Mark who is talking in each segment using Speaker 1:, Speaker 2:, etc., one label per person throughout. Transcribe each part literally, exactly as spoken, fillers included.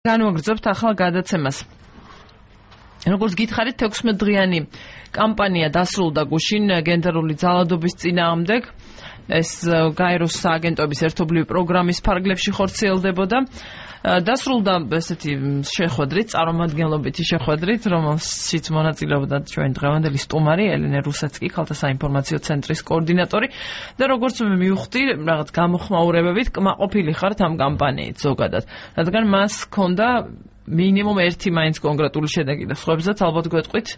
Speaker 1: განვაგრძობთ ახალ გადაცემას. როგორც გითხარით, თექვსმეტ დღიანი კამპანია დასრულდა გუშინ გენდერული ძალადობის წინააღმდეგ. ეს გაეროს სააგენტოების ერთობლივი პროგრამის ფარგლებში ხორციელდებოდა. დასრულდა ესეთი შეხვედრით, წარმომადგენლობითი შეხვედრით, რომელშიც მონაწილეობდა ჩვენი დღევანდელი სტუმარი ელენე რუსაცკი, ქალთა საინფორმაციო ცენტრის კოორდინატორი და როგორც მე მივხვდი, რაღაც გამოხმაურებებით კმაყოფილი ხართ ამ კამპანიით ზოგადად. რადგან მას ჰქონდა მინიმუმ ერთი მაინც კონკრეტული შედეგი და სხვებსაც ალბათ გვეტყვით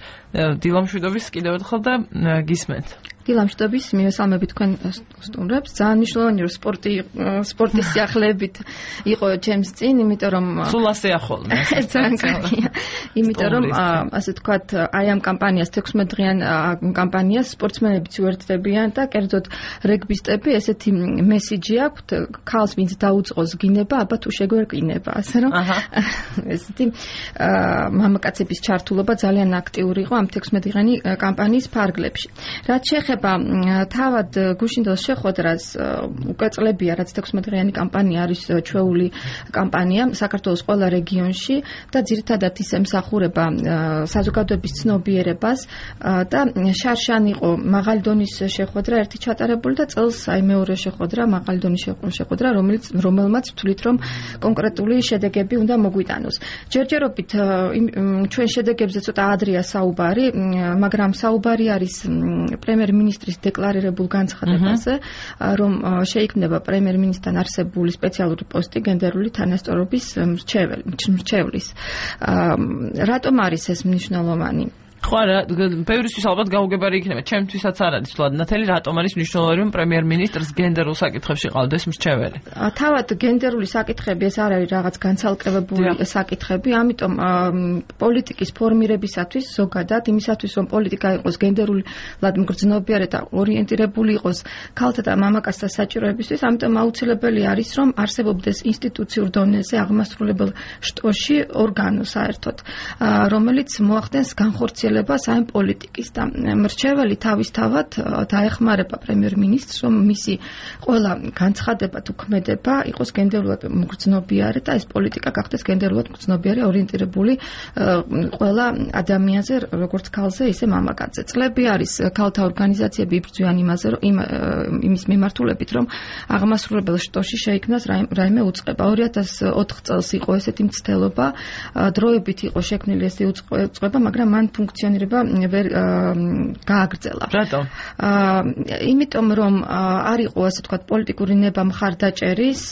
Speaker 1: დილამშვიდობის კიდევ ერთხელ და გისმენთ.
Speaker 2: დილამშვიდობის მივესალმებით თქვენ სტუმრებს. ძალიან მნიშვნელოვანი რომ სპორტი სპორტის სიახლეებით იყო ჩემს წინ, იმიტომ რომ
Speaker 1: სულ ასე ახლოვნა.
Speaker 2: ძალიან კარგია. იმიტომ რომ ასე თქვათ, აი ამ კამპანიას თექვსმეტ დღიან კამპანიას სპორტსმენებიც უერთდებიან და კერძოდ რეგბისტები ესეთი მესიჯი აქვთ, ქალს ვინც დაუწყოს გინება, აბა თუ შეგვერკინება, ასე რომ ესეთი მამაკაცების ჩართულობა ძალიან აქტიური იყო ამ თექვსმეტ დღიანი კამპანიის ფარგლებში. რაც შეეხება თავად გუშინდელ შეხვედრას, უკვე წლებია, რაც თექვსმეტ დღიანი კამპანია არის ჩვეული კამპანია საქართველოს ყველა რეგიონში და ძირითადად ის ემსახურება საზოგადოების ცნობიერებას და შარშან იყო მაღალი დონის შეხვედრა ერთი ჩატარებული და წელს აი მეორე შეხვედრა, მაღალი დონის შეხვედრა, რომელიც რომელმაც ვთვლით რომ კონკრეტული შედეგები უნდა მოგვიტანოს. ჯერჯერობით ჩვენ შედეგებზე ცოტა ადრეა საუბარი, მაგრამ საუბარი არის პრემიერ-მინისტრის დეკლარირებულ განცხადებაზე, რომ შეიქმნება პრემიერ-მინისტრთან არსებული სპეციალური პოსტი გენდერული თანასწორობის მრჩევლის. რატომ არის ეს მნიშვნელოვანი?
Speaker 1: ხო არა, ბევრისთვის ალბათ გაუგებარი იქნება, ჩემთვისაც არ არის ვთქვათ, ნათელი რატომ არის მნიშვნელოვანი რომ პრემიერ-მინისტრს გენდერულ საკითხებში ყავდეს მრჩეველი?
Speaker 2: თავად გენდერული საკითხები ეს არ არის რაღაც განცალკევებული საკითხები, ამიტომ პოლიტიკის ფორმირებისათვის ზოგადად იმისათვის რომ პოლიტიკა იყოს გენდერულად მგრძნობიარე და ორიენტირებული იყოს ქალთა და მამაკაცთა საჭიროებისთვის, ამიტომ აუცილებელი არის რომ არსებობდეს ინსტიტუციურ დონეზე აღმასრულებელ შტოში ორგანო საერთოდ, რომელიც მოახდენს განხორციელებას ამ პოლიტიკის და მრჩეველი თავისთავად დაეხმარება პრემიერ-მინისტრს, რომ მისი ყველა განცხადება თუ ქმედება იყოს გენდერულად მგრძნობიარე და ეს პოლიტიკა გახდეს გენდერულად მგრძნობიარე ორიენტირებული ყველა ადამიანზე, როგორც ქალზე, ისე მამაკაცზე. წლები არის ქალთა ორგანიზაციები იბრძვიან იმაზე, რომ იმის მიმართულებით, რომ აღმასრულებელ შტოში შეიქმნას რაიმე უწყება. ორი ათას ოთხ წელს იყო ესეთი მცდელობა, დროებით იყო შექმნილი ეს უწყება, მაგრამ მან ფუნქციონირება ვერ გააგრძელა.
Speaker 1: რატომ?
Speaker 2: იმიტომ რომ არ იყო ასე ვთქვათ პოლიტიკური ნება მხარდაჭერის,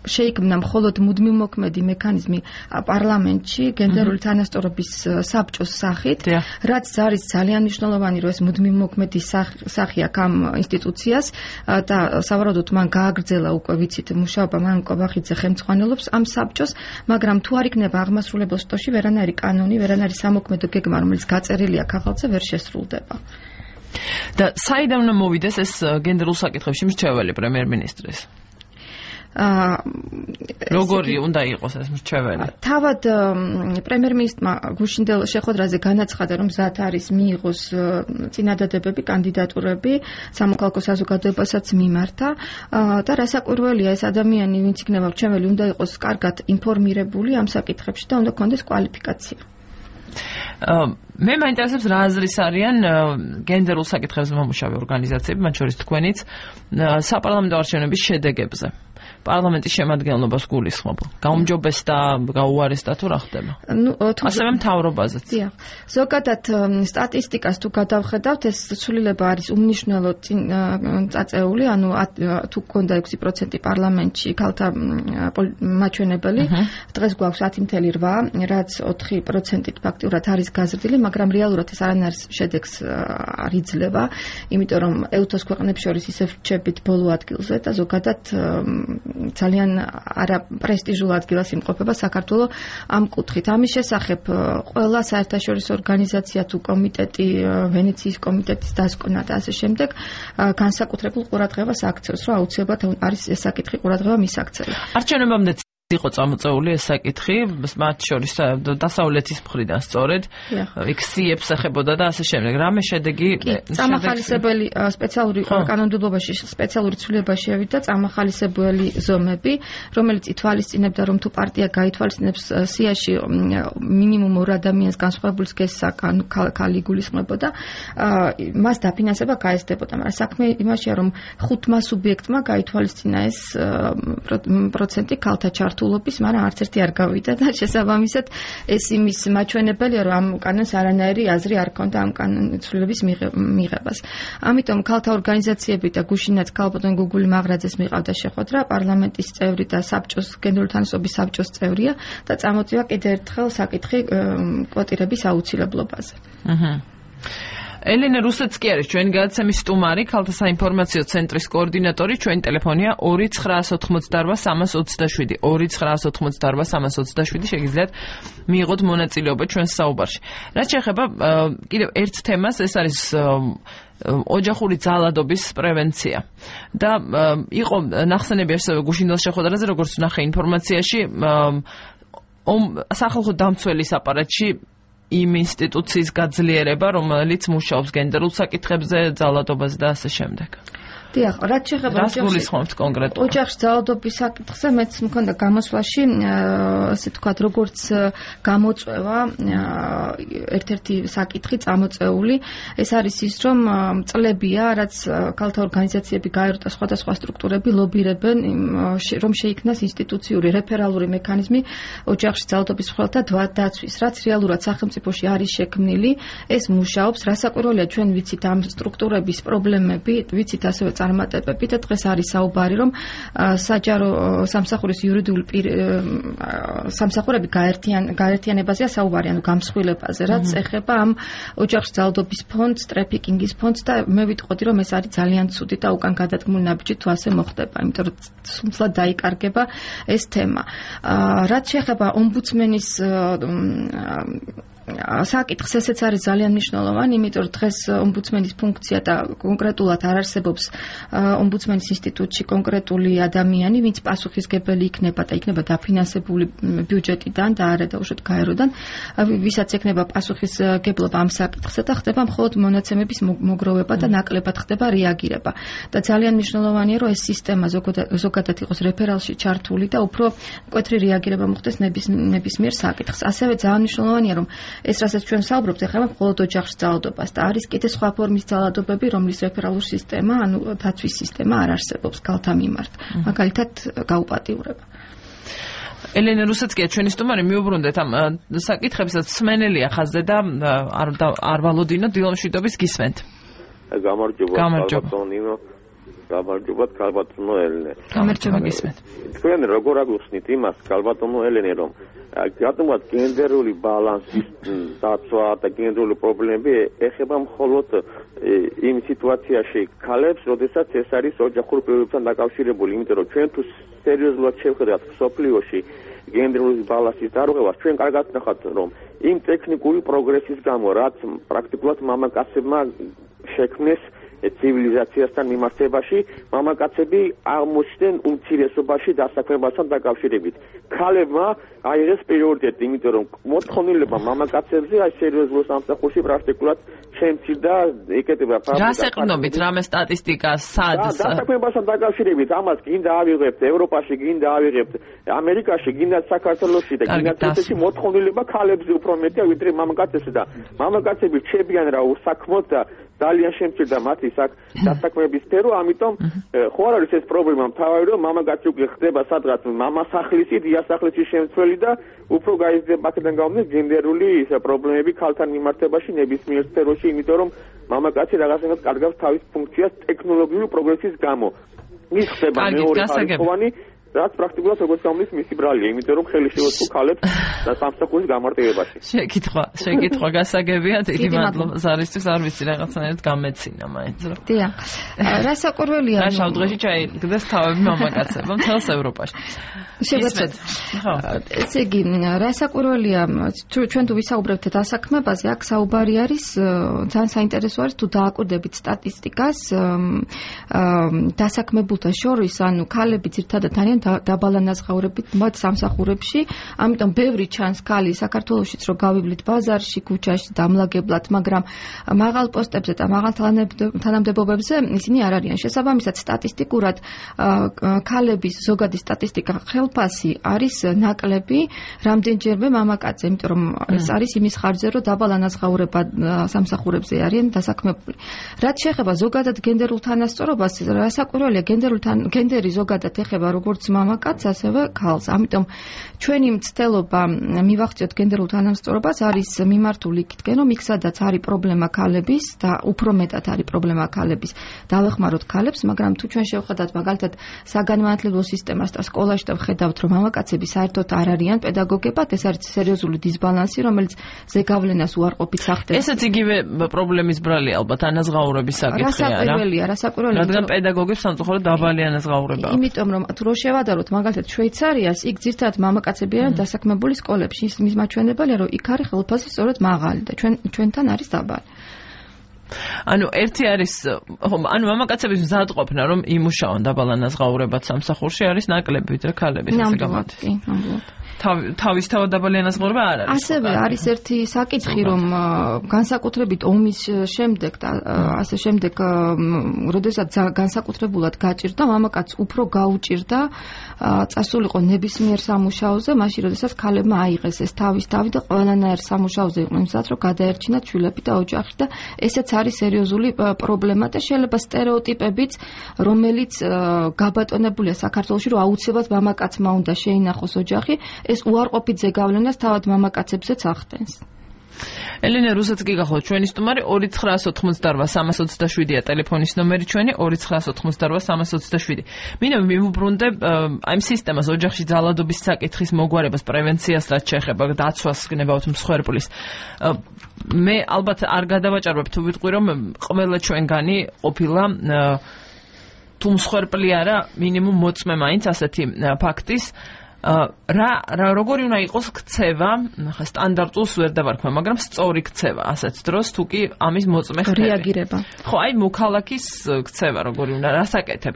Speaker 2: შეიქმნა მხოლოდ მუდმივმოქმედი მექანიზმი პარლამენტში გენდერული თანასწორობის საბჭოს სახით, რაც არის ძალიან მნიშვნელოვანი, რომ ეს მუდმივმოქმედი სახი აქვს ამ ინსტიტუციას და სავარაუდოდ მან გააგრძელა უკვე ვიცით მუშაობა, მან კობახიძე ხელმძღვანელობს ამ საბჭოს, მაგრამ თუ არ იქნება აღმასრულებელ შტოში ვერანაირი კანონი, ვერანაირი სამოქმედო გეგმა, რომელიც გაწერილია ქაღალდზე, ვერ შესრულდება.
Speaker 1: და საიდან უნდა მოვიდეს ეს გენდერულ საკითხებში მრჩეველი პრემიერ-მინისტრის? როგორი უნდა იყოს ეს მრჩეველი?
Speaker 2: თავად პრემიერ-მინისტრმა გუშინდელ შეხვედრაზე განაცხადა, რომ მზად არის მიიღოს წინადადებები, კანდიდატურები სამოქალაქო საზოგადოებასაც მიმართა და რასაკვირველია, ეს ადამიანი, ვინც იქნება მრჩეველი, უნდა იყოს კარგად ინფორმირებული ამ საკითხებში და უნდა ჰქონდეს კვალიფიკაცია.
Speaker 1: მე მაინტერესებს რა აზრის არიან გენდერულ საკითხებზე მომუშავე ორგანიზაციები, მათ შორის თქვენიც, საპარლამენტო არჩევნების შედეგებზე. პარლამენტის შემადგენლობას გულისხმობ. გაუმჯობესდა, გაუარესდა თუ რა ხდება?
Speaker 2: ნუ
Speaker 1: ასევე მთავრობაზეც.
Speaker 2: დიახ. ზოგადად სტატისტიკას თუ გადავხედავთ, ეს ცვლილება არის უმნიშვნელო წაწეული, ანუ თუ გქონდა ექვსი პროცენტი პარლამენტში ქალთა მაჩვენებელი, დღეს გვაქვს ათი წუთი რვა, რაც ოთხი პროცენტით ფაქტიურად არის გაზრდილი, მაგრამ რეალურად ეს არანაირ შედეგს არ იძლევა, იმიტომ რომ ეუთოს ქვეყნებს შორის ისევ რჩებით ბოლო ადგილზე და ზოგადად ძალიან არაპრესტიჟულ ადგილას იმყოფება საქართველოს ამ კუთხით. ამის შესახებ ყველა საერთაშორისო ორგანიზაცია თუ კომიტეტი, ვენეციის კომიტეტის დასკვნა და ასე შემდეგ განსაკუთრებულ ყურადღებას აქცევს, რომ აუცილებლად არის ეს საკითხი ყურადღება მისაქცევი.
Speaker 1: არჩევნებამდე იყო წამოწეული ეს საკითხი, მათ შორის დასავლეთის მხრიდან სწორედ იქ სიებს ეხებოდა და ასე შემდეგ. რამე შედეგი
Speaker 2: წამახალისებელი სპეციალური კანონმდებლობაში სპეციალური ცვლილება შევიდა წამახალისებელი ზომები, რომელიც ითვალისწინებდა, რომ თუ პარტია გაითვალისწინებს სიაში მინიმუმ ორ ადამიანს განსხვავებულს გესა ქალი გულისხმებოდა, მას დაფინანსება გაესდებოდა, მაგრამ საქმე იმაშია, რომ ხუთმა სუბიექტმა გაითვალისწინა ეს პროცენტი ქალთა ჩართულობის, მაგრამ არც ერთი არ გავიდა და შესაბამისად ეს იმის მაჩვენებელია, რომ ამ კანონს არანაირი აზრი არ ქონდა ამ კანონის ცვლილების მიღებას. ამიტომ ქალთა ორგანიზაციები და გუშინაც ქალბატონ გუგული მაღრაძეს მიყავდა შეხვედრა, პარლამენტის წევრი და საბჭოს გენდერული თანასწორობის საბჭოს წევრია და წამოწია კიდევ ერთხელ საკითხი კვოტირების აუცილებლობაზე.
Speaker 1: აჰა. ელენე რუსეცკი არის ჩვენი გადაცემის სტუმარი, ქალთა საინფორმაციო ცენტრის კოორდინატორი, ჩვენი ტელეფონია ორი ცხრაას ოთხმოცდაორვა სამას ოცდაშვიდი ორი ცხრაას ოთხმოცდაორვა სამას ოცდაშვიდი შეგიძლიათ მიიღოთ მონაწილეობა ჩვენს საუბარში. რაც შეეხება კიდევ ერთ თემას, ეს არის ოჯახური ძალადობის პრევენცია. და იყო ნახსენები ასევე გუშინდელ შეხვედრაზე, როგორც ვნახე ინფორმაციაში, სახალხო დამცველის აპარატში იმ ინსტიტუციის გაძლიერება, რომელიც მუშაობს გენდერულ საკითხებზე, ძალადობაზე და ასე შემდეგ.
Speaker 2: დიახ, რაც შეეხება
Speaker 1: რას გულისხმობთ კონკრეტულად?
Speaker 2: ოჯახში ძალადობის საკითხზე მეც მქონდა გამოსვლაში, ასე ვთქვათ, როგორც გამოწვევა ერთ-ერთი საკითხი წამოწეული, ეს არის ის, რომ წლებია, რაც ქალთა ორგანიზაციები გაეროს სხვადასხვა სტრუქტურები ლობირებენ, რომ შეიქმნას ინსტიტუციური რეფერალური მექანიზმი ოჯახში ძალადობის მხოლოდ დაცვის, რაც რეალურად სახელმწიფოში არის შექმნილი, ეს მუშაობს, რასაკვირველია ჩვენ ვიცით ამ სტრუქტურების პრობლემები, ვიცით ასევე წარმატებები და დღეს არის საუბარი, რომ საჯარო სამსახურის იურიდიული სამსახურები გაერთიანებაზეა საუბარი, ანუ გამსხვილებაზე, რაც ეხება ამ ოჯახში ძალადობის ფონდს, ტრეფიკინგის ფონდს და მე ვიტყოდი, რომ ეს არის ძალიან ცუდი და უკან გადადგმული ნაბიჯი თუ ასე მოხდება, იმიტომ რომ სულსად დაიკარგება ეს თემა. რაც შეეხება ომბუდსმენის საკითხს, ესეც არის ძალიან მნიშვნელოვანი, იმიტომ რომ დღეს ომბუდსმენის ფუნქცია და კონკრეტულად არ არსებობს ომბუდსმენის ინსტიტუტში კონკრეტული ადამიანი, ვინც პასუხისმგებელი იქნება და იქნება დაფინანსებული ბიუჯეტიდან და არა დაუშვათ გაეროდან, ვისაც ექნება პასუხისმგებლობა ამ საკითხზე და ხდება მხოლოდ მონაცემების მოგროვება და ნაკლებად ხდება რეაგირება. და ძალიან მნიშვნელოვანია, რომ ეს სისტემა ზოგადად იყოს რეფერალში ჩართული და უფრო მკვეთრი რეაგირება მოხდეს ნებისმიერ საკითხს. ასევე ძალიან მნიშვნელოვანია, რომ ეს რასაც ჩვენ საუბრობთ, ეხება მხოლოდ ოჯახში ძალადობას და არის კიდე სხვა ფორმის ძალადობები, რომლის რეფერალური სისტემა, ანუ დაცვის სისტემა არ არსებობს ქალთა მიმართ. მაგალითად, გაუპატიურება.
Speaker 1: ელენე რუსეცკია ჩვენი სტუმარი, მიუბრუნდეთ ამ საკითხებსაც, სმენელია ხაზზე და არ ვალოდინო დილომშვიდობის გისმენთ.
Speaker 3: გამარჯობა, ქალბატონო. გამარჯობა, ქალბატონო ელენე.
Speaker 1: გამარჯობა გისმენთ.
Speaker 3: თქვენ როგორ აგიხსნით იმას, ქალბატონო ელენე, რომ რატომაც გენდერული ბალანსის დაცვა და გენდერული პრობლემები ეხება მხოლოდ იმ სიტუაციაში ქალებს, როდესაც ეს არის ოჯახურ პირობებთან დაკავშირებული, იმიტომ რომ ჩვენ თუ სერიოზულად შევხედავთ სოფლიოში გენდერული ბალანსის დარღვევას, ჩვენ კარგად ნახავთ, რომ იმ ტექნიკური პროგრესის გამო, რაც პრაქტიკულად მამაკაცებმა შექმნეს ცივილიზაციასთან მიმართებაში, მამაკაცები აღმოჩნდნენ უმცირესობაში დასაქმებასთან დაკავშირებით. ქალებმა აიღეს პრიორიტეტი, იმიტომ რომ მოთხოვნილება მამაკაცებზე აი სერიოზულ სამსახურში პრაქტიკულად შემცირდა, ეკეთება ფაქტი.
Speaker 1: რას ეყნობით, რამე სტატისტიკა, სად?
Speaker 3: დასაქმებასთან დაკავშირებით, ამას გინდა ავიღებთ ევროპაში, გინდა ავიღებთ ამერიკაში, გინდა საქართველოში და გინდა თეთრში მოთხოვნილება ქალებზე უფრო მეტია ვიდრე მამაკაცებზე და მამაკაცები რჩებიან რა უსაქმოდ და ძალიან შემცირდა მათი დასაქმების სფერო, ამიტომ ხო არ არის ეს პრობლემა, მთავარი რომ მამაკაცი უკვე ხდება სადღაც მამასახლისი, დიასახლისი შემცველი და უფრო გაიზრდება აქედან გამომდინარე გენდერული პრობლემები ქალთან მიმართებაში ნებისმიერ სფეროში, იმიტომ რომ მამაკაცი რაღაცნაირად კარგავს თავის ფუნქციას ტექნოლოგიური პროგრესის გამო. ის ხდება მეორე ხარისხოვანი, რაც პრაქტიკულად როგორც გამის მისი ბრალია, იმიტომ რომ ხელი შეუწყო ქალებს და სამსახურის გამარტივებაში.
Speaker 1: შეკითხვა, შეკითხვა გასაგებია, დიდი მადლობა ზარისთვის, არ ვიცი რაღაცნაირად გამეცინა მაინც რა.
Speaker 2: დიახ. რასაკვირველია,
Speaker 1: რა შავდღეში ჩაიგდეს თავები მამაკაცებმა მთელს ევროპაში.
Speaker 2: შეგეცეთ. ხო. ესე იგი, რასაკვირველია, ჩვენ თუ ვისაუბრებთ დასაქმებაზე, აქ საუბარი არის, ძალიან საინტერესო არის თუ დააკვირდებით სტატისტიკას, დასაქმებულთა შორის, ანუ ქალები ძირთადად ძალიან არიან დაბალანაზღაურებით მათ სამსახურებში, ამიტომ ბევრი ჩანს ქალი საქართველოშიც რომ გავივლით ბაზარში, ქუჩაში დამლაგებლად, მაგრამ მაღალ პოსტებზე და მაღალ თანამდებობებზე ისინი არ არიან. შესაბამისად, სტატისტიკურად ქალების ზოგადი სტატისტიკა ხელფასი არის ნაკლები რამდენჯერმე მამაკაცზე, იმიტომ რომ ეს არის იმის ხარჯზე, რომ დაბალანაზღაურება სამსახურებზე არიან დასაქმებული. რაც შეეხება ზოგადად გენდერულ თანასწორობას, რასაკვირველია, გენდერი ზოგადად ეხება როგორც მამაკაცს, ასევე ქალს. ამიტომ ჩვენი მცდელობა მივახციოთ გენდერულ თანასწორობას არის მიმართული იქითკენ, რომ იქ სადაც არის პრობლემა ქალების და უფრო მეტად არის პრობლემა ქალების, დავეხმაროთ ქალებს, მაგრამ თუ ჩვენ შევხედავთ მაგალითად საგანმანათლებლო სისტემას და სკოლაში და ვხედავთ, რომ მამაკაცები საერთოდ არ არიან პედაგოგებად, ეს არის სერიოზული დისბალანსი, რომელიც ზეგავლენას უარყოფით სახდებს.
Speaker 1: ესეც იგივე პრობლემის ბრალი ალბათ ანაზღაურების საკითხია რა.
Speaker 2: რასაკვირველია, რასაკვირველია.
Speaker 1: რადგან პედაგოგებს სამწუხაროდ დაბალი ანაზღაურება.
Speaker 2: იმიტომ რომ თუ რო შევადაროთ მაგალითად შვეიცარიას, იქ ძირთადად მამაკაცები არიან დასაქმებული სკოლებში. ის მაჩვენებელია, რომ იქ არის ხელფასი სწორედ მაღალი და ჩვენ ჩვენთან არის დაბალი.
Speaker 1: ანუ ერთი არის, ანუ მამაკაცების მზადყოფნა, რომ იმუშაონ დაბალანაზღაურებად სამსახურში არის ნაკლები ვიდრე ქალების, ესე გამოდის.
Speaker 2: კი, ნამდვილად.
Speaker 1: თავის თავად დაბალი ანაზღაურება არ არის.
Speaker 2: ასევე არის ერთი საკითხი, რომ განსაკუთრებით ომის შემდეგ და ასე შემდეგ, როდესაც განსაკუთრებულად გაჭირდა, მამაკაც უფრო გაუჭირდა წასულიყო ნებისმიერ სამუშაოზე, მაშინ როდესაც ქალებმა აიღეს ეს თავის თავი და ყველანაირ სამუშაოზე იყვნენ მზად, რომ გადაერჩინათ შვილები და ოჯახი და ესეც არის სერიოზული პრობლემა და შეიძლება სტერეოტიპებიც, რომელიც გაბატონებულია საქართველოში, რომ აუცილებლად მამაკაცმა უნდა შეინახოს ოჯახი, ეს უარყოფით ზეგავლენას თავად მამაკაცებზეც ახდენს.
Speaker 1: ელენე რუსეთს გიგახოთ ჩვენი სტუმარი ორი ცხრაას ოთხმოცდაორვა სამას ოცდაშვიდია ტელეფონის ნომერი ჩვენი ორი ცხრაას ოთხმოცდაორვა სამას ოცდაშვიდი. მინდა მივუბრუნდე აი ამ სისტემას ოჯახში ძალადობის საკითხის მოგვარებას, პრევენციას რაც შეეხება დაცვას გნებავთ მსხვერპლის. მე ალბათ არ გადავაჭარბებ თუ ვიტყვი რომ ყველა ჩვენგანი ყოფილა თუ მსხვერპლი არა მინიმუმ მოწმე მაინც ასეთი ფაქტის. რა რა როგორი უნდა იყოს ქცევა, ხა სტანდარტულს ვერ დავარქვა, მაგრამ სწორი ქცევა ასეთ დროს თუ კი ამის მოწმე ხდება.
Speaker 2: რეაგირება.
Speaker 1: ხო, აი მოქალაქის ქცევა როგორი უნდა, რას აკეთებ?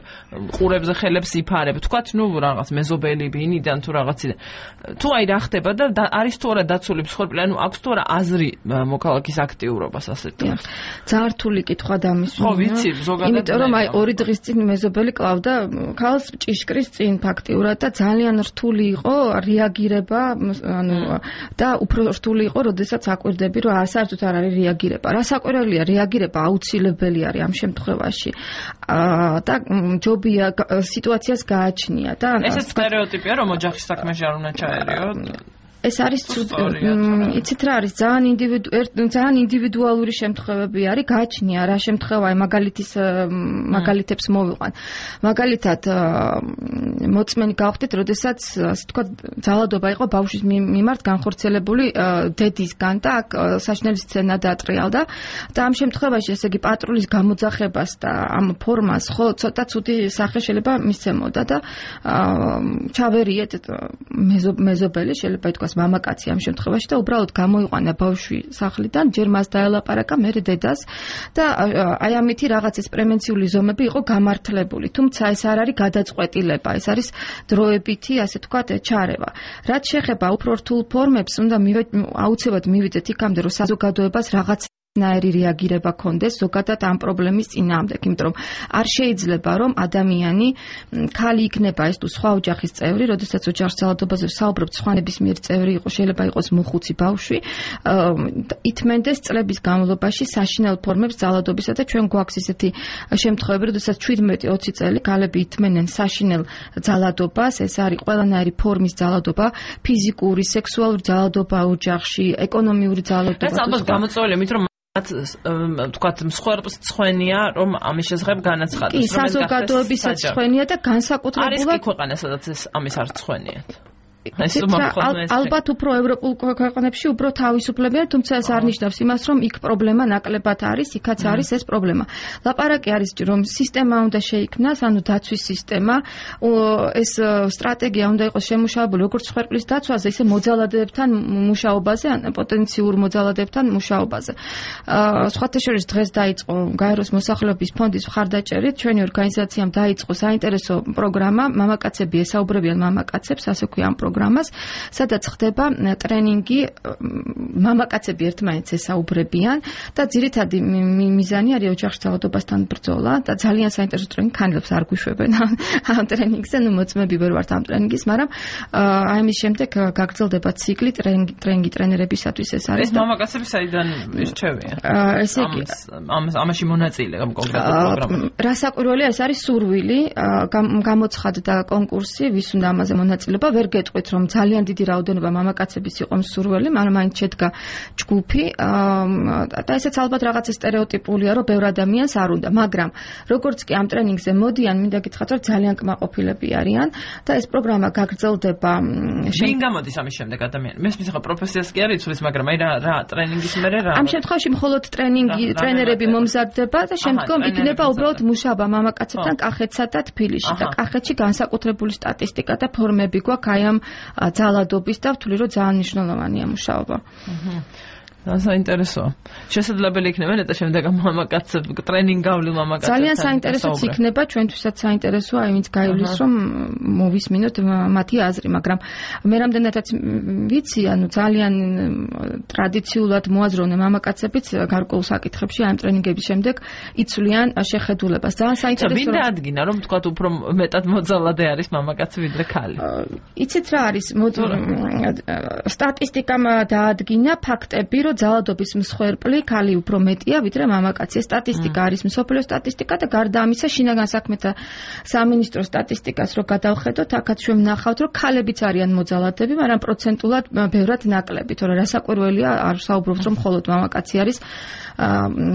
Speaker 1: ყურებზე ხელებს იფარებ, თქვათ, ნუ რაღაც მეზობელი ბინიდან თუ რაღაციდან. თუ აი რა ხდება და არის თუ არა დაცული მსხვერპლი, ანუ აქვს თუ არა აზრი მოქალაქის აქტიურობას ასეთ დროს.
Speaker 2: ძალიან რთული კითხვა დამისვნა.
Speaker 1: ხო, ვიცი, ზოგადად.
Speaker 2: იმიტომ რომ აი ორი დღის წინ მეზობელი კლავდა ქალს ჭიშკრის წინ ფაქტიურად და ძალიან რთული იყო რეაგირება, ანუ და უფრო რთული იყო, როდესაც აკვირდები, რომ საერთოდ არ არის რეაგირება. რასაკვირველია, რეაგირება აუცილებელი არის ამ შემთხვევაში. და ჯობია სიტუაციას გააჩნია და
Speaker 1: ეს სტერეოტიპია, რომ ოჯახის საქმეში არ უნდა ჩაერიოთ.
Speaker 2: ეს არის იცით რა არის ძალიან ძალიან ინდივიდუალური შემთხვევები არის გააჩნია რა შემთხვევაა მაგალითის მაგალითებს მოვიყვან მაგალითად მოწმენი გავხდით როდესაც ასე თქვა ძალადობა იყო ბავშვის მიმართ განხორციელებული დედისგან და აქ საშნელი სცენა დაატრიალდა და ამ შემთხვევაში ესე იგი პატრულის გამოძახებას და ამ ფორმას ხო ცოტა ცუდი სახე შეიძლება მისცემოდა და ჩავერიეთ მეზობელი შეიძლება ითქვას მამაკაცი ამ შემთხვევაში და უბრალოდ გამოიყვანა ბავშვი სახლიდან, ჯერ მას დაელაპარაკა, მერე დედას და აი ამითი რაღაც ეს პრევენციული ზომები იყო გამართლებული. თუმცა ეს არ არის გადაწყვეტილება, ეს არის დროებითი, ასე ვთქვათ, ჩარევა. რაც შეეხება უფრო რთულ ფორმებს, უნდა აუცილებლად მივიდეთ იქამდე, რომ საზოგადოებას რაღაც ნაირი რეაგირება კონდეს ზოგადად ამ პრობლემის წინააღმდეგ, იმიტომ რომ არ შეიძლება რომ ადამიანი ქალი იქნება ეს თუ სხვა ოჯახის წევრი, როდესაც ოჯახის ძალადობაზე საუბრობთ, სხვა ნებისმიერ წევრი იყო, შეიძლება იყოს მოხუცი ბავშვი, ითმენდეს წლების განმავლობაში საშინელ ფორმებს ძალადობისა და ჩვენ გვაქვს ისეთი შემთხვევები, როდესაც შვიდმეტი ოცი წელი ქალები ითმენენ საშინელ ძალადობას, ეს არის ყველანაირი ფორმის ძალადობა, ფიზიკური, სექსუალური ძალადობა ოჯახში, ეკონომიური ძალადობა.
Speaker 1: ეს ალბათ გამოწვეულია, იმიტომ რომ თქვათ მსხვერპლს ცხენია რომ ამის შესახებ განაცხადეს
Speaker 2: რომ ეს საზოგადოებისაც ცხენია და განსაკუთრებულად
Speaker 1: არის კი ქვეყანა სადაც ეს ამის არ ცხენიათ
Speaker 2: ალბათ უფრო ევროპულ ქვეყნებში უფრო თავისუფლებია, თუმცა ეს არ ნიშნავს იმას, რომ იქ პრობლემა ნაკლებად არის, იქაც არის ეს პრობლემა. ლაპარაკი არის, რომ სისტემა უნდა შეიქმნას, ანუ დაცვის სისტემა, ეს სტრატეგია უნდა იყოს შემუშავებული როგორც ხვერპლის დაცვაზე, ისე მოძალადებთან მუშაობაზე, ან პოტენციურ მოძალადებთან მუშაობაზე. სხვათა შორის დღეს დაიწყო გაეროს მოსახლეობის ფონდის მხარდაჭერით, ჩვენი ორგანიზაციამ დაიწყო საინტერესო პროგრამა, მამაკაცები ესაუბრებიან მამაკაცებს, ასე ქვია ამ პროგრამას, სადაც ხდება ტრენინგი, მამაკაცები ერთმანეთს ესაუბრებიან და ძირითადი მიზანი არის ოჯახში ძალადობასთან ბრძოლა და ძალიან საინტერესო ტრენინგი, ქანილებს არ გვიშვებენ ამ ტრენინგზე, ნუ მოწმები ვერ ვართ ამ ტრენინგის, მაგრამ აი ამის შემდეგ გაგრძელდება ციკლი ტრენინგი ტრენინგი ტრენერებისათვის ეს არის.
Speaker 1: ეს მამაკაცები საიდან ირჩევიან?
Speaker 2: ესე იგი
Speaker 1: ამ ამაში მონაწილე ამ კონკრეტულ პროგრამაში.
Speaker 2: რასაკვირველია, ეს არის სურვილი, გამოცხადდა კონკურსი, ვის უნდა ამაზე მონაწილეობა, ვერ გეტყვით, რომ ძალიან დიდი რაოდენობა მამაკაცების იყო მსურველი, მაგრამ მაინც შედგა ჯგუფი და ესეც ალბათ რაღაცა სტერეოტიპულია, რომ ბევრ ადამიანს არ უნდა, მაგრამ როგორც კი ამ ტრენინგზე მოდიან, მინდა გითხრათ, რომ ძალიან კმაყოფილები არიან და ეს პროგრამა გაგრძელდება.
Speaker 1: შენ გამოდის ამის შემდეგ ადამიანი. მესმის ახლა პროფესიას კი არ იცვლის, მაგრამ აი რა რა ტრენინგის მერე რა.
Speaker 2: ამ შემთხვევაში მხოლოდ ტრენინგი ტრენერები მომზადდება და შემდგომ იქნება უბრალოდ მუშაობა მამაკაცებთან კახეთსა და თბილისში და კახეთში განსაკუთრებული სტატისტიკა და ფორმები გვაქვს აი ამ ძალადობის და ვთვლი რომ ძალიან მნიშვნელოვანია მუშაობა.
Speaker 1: საინტერესოა. შესაძლებელი იქნება ნეტა შემდეგ მამაკაცებ ტრენინგავლი მამაკაცებთან.
Speaker 2: ძალიან საინტერესოც იქნება, ჩვენთვისაც საინტერესოა, აი ვინც გაივლის რომ მოვისმინოთ მათი აზრი, მაგრამ მე რამდენადაც ვიცი, ანუ ძალიან ტრადიციულად მოაზროვნე მამაკაცებიც გარკვეულ საკითხებში ამ ტრენინგების შემდეგ იცვლიან შეხედულებას. ძალიან საინტერესოა.
Speaker 1: ვინ დაადგინა, რომ თქვა უფრო მეტად მოძალადე არის მამაკაცი ვიდრე ქალი?
Speaker 2: იცით რა არის? სტატისტიკამ დაადგინა ფაქტები, რომ ძალადობის მსხვერპლი ქალი უფრო მეტია ვიდრე მამაკაცი. ეს სტატისტიკა არის მსოფლიო სტატისტიკა და გარდა ამისა შინაგან საქმეთა სამინისტროს სტატისტიკას რო გადავხედოთ, აქაც ჩვენ ვნახავთ, რომ ქალებიც არიან მოძალადები, მაგრამ პროცენტულად ბევრად ნაკლები, თორე რასაკვირველია, არ საუბრობთ, რომ მხოლოდ მამაკაცი არის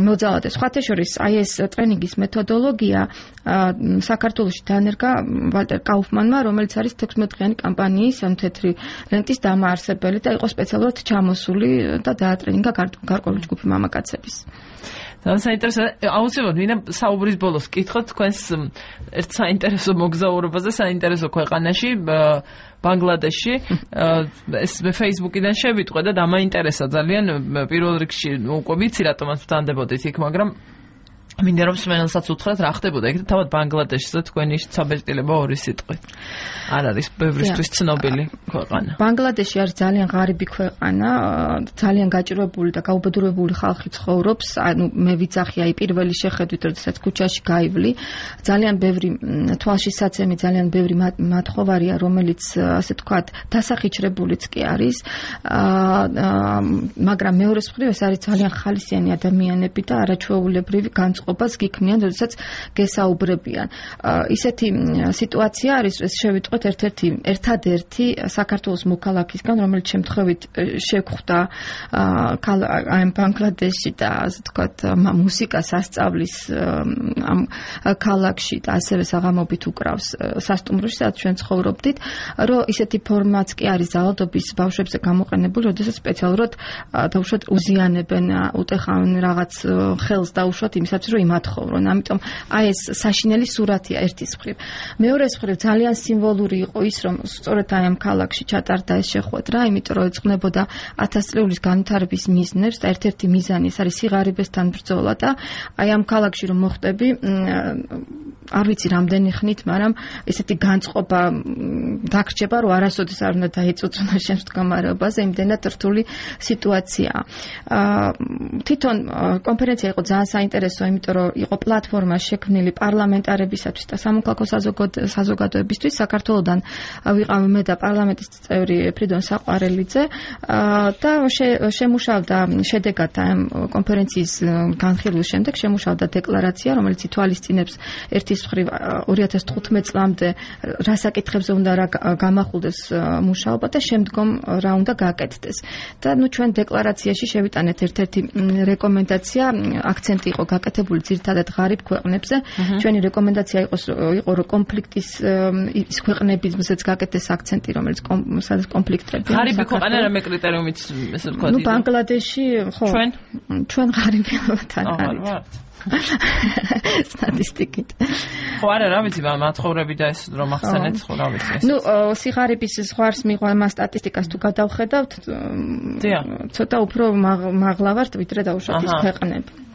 Speaker 2: მოძალადე. სხვათა შორის, აი ეს ტრენინგის მეთოდოლოგია საქართველოში დანერგა ვალტერ კაუფმანმა, რომელიც არის თექვსმეტ დღიანი კამპანიის ამ თეთრი ლენტის დამაარსებელი და იყო სპეციალურად ჩამოსული და დაატრენინგა გარკვეული ჯგუფი მამაკაცების.
Speaker 1: ძალიან საინტერესო, აუცილებლად ვინა საუბრის ბოლოს კითხოთ თქვენს ერთ საინტერესო მოგზაურობაზე, საინტერესო ქვეყანაში, ბანგლადეში. ეს Facebook-იდან შევიტყვე და დამაინტერესა ძალიან. პირველ რიგში უკვე ვიცი რატომაც ვთანდებოდით იქ, მაგრამ მინდა რომ სმენელსაც უთხრათ რა ხდებოდა იქ და თავად ბანგლადეშზე თქვენი საბეჭდილება ორი სიტყვით. არ არის ბევრისთვის ცნობილი ქვეყანა.
Speaker 2: ბანგლადეში არის ძალიან ღარიბი ქვეყანა, ძალიან გაჭირვებული და გაუბედურებული ხალხი ცხოვრობს. ანუ მე ვიცახი აი პირველი შეხედვით, როდესაც ქუჩაში გაივლი, ძალიან ბევრი თვალშისაცემი, ძალიან ბევრი მათხოვარია, რომელიც ასე თქვათ დასახიჩრებულიც კი არის. მაგრამ მეორე მხრივ ეს არის ძალიან ხალისიანი ადამიანები და არაჩვეულებრივი განწყობა ობას გიქმნიან, როდესაც გესაუბრებიან. ისეთი სიტუაცია არის, ეს შევიტყვეთ ერთ-ერთი ერთადერთი საქართველოს მოქალაქისგან, რომელიც შემთხვევით შეგვხვდა ამ ბანგლადეში და ასე ვთქვათ, მუსიკას ასწავლის ამ ქალაქში და ასევე საღამობით უკრავს სასტუმროში, სადაც ჩვენ ცხოვრობდით, რომ ისეთი ფორმაც კი არის ძალადობის ბავშვებზე გამოყენებული, როდესაც სპეციალურად დაუშვათ უზიანებენ, უტეხავენ რაღაც ხელს დაუშვათ იმისათვის, რომ იმათხოვრონ. ამიტომ აი ეს საშინელი სურათია ერთის მხრივ. მეორეს მხრივ ძალიან სიმბოლური იყო ის, რომ სწორედ აი ამ ქალაქში ჩატარდა ეს შეხვედრა, იმიტომ რომ ეძღვნებოდა ათასწლეულის განვითარების მიზნებს და ერთ-ერთი მიზანი ეს არის სიღარიბესთან ბრძოლა და აი ამ ქალაქში რომ მოხდები, არ ვიცი რამდენი ხნით, მაგრამ ესეთი განწყობა დაგრჩება, რომ არასოდეს არ უნდა დაეწუწუნა შენს მდგომარეობაზე, იმდენად რთული სიტუაციაა. თვითონ კონფერენცია იყო ძალიან საინტერესო, იმიტომ რომ იყო პლატფორმა შექმნილი პარლამენტარებისათვის და სამოქალაქო საზოგადოებისთვის. საქართველოდან ვიყავ მე და პარლამენტის წევრი ფრიდონ საყვარელიძე და შემუშავდა შედეგად ამ კონფერენციის განხილვის შემდეგ შემუშავდა დეკლარაცია, რომელიც ითვალისწინებს ერთის ის ხრივ ორი ათას თხუთმეტ წლამდე რა საკითხებზე უნდა რა გამახულდეს მუშაობა და შემდგომ რა უნდა გაკეთდეს. და ნუ ჩვენ დეკლარაციაში შევიტანეთ ერთ-ერთი რეკომენდაცია, აქცენტი იყო გაკეთებული ძირითადად ღარიბ ქვეყნებზე. ჩვენი რეკომენდაცია იყო იყო რომ კონფლიქტის ის ქვეყნებზეც გაკეთდეს აქცენტი, რომელიც სადაც კონფლიქტები.
Speaker 1: ღარიბი ქვეყანა რამე კრიტერიუმით ესე ვთქვათ.
Speaker 2: ნუ ბანგლადეში, ხო.
Speaker 1: ჩვენ
Speaker 2: ჩვენ ღარიბებთან არის. სტატისტიკით.
Speaker 1: ხო არა, რა ვიცი, მათხოვრები და ეს რომ ახსენეთ, ხო რა ვიცი.
Speaker 2: ნუ სიღარიბის ზღვარს მიღვა სტატისტიკას თუ გადავხედავთ, ცოტა უფრო მაღლა ვართ ვიდრე დაუშვათ ის ქვეყნები.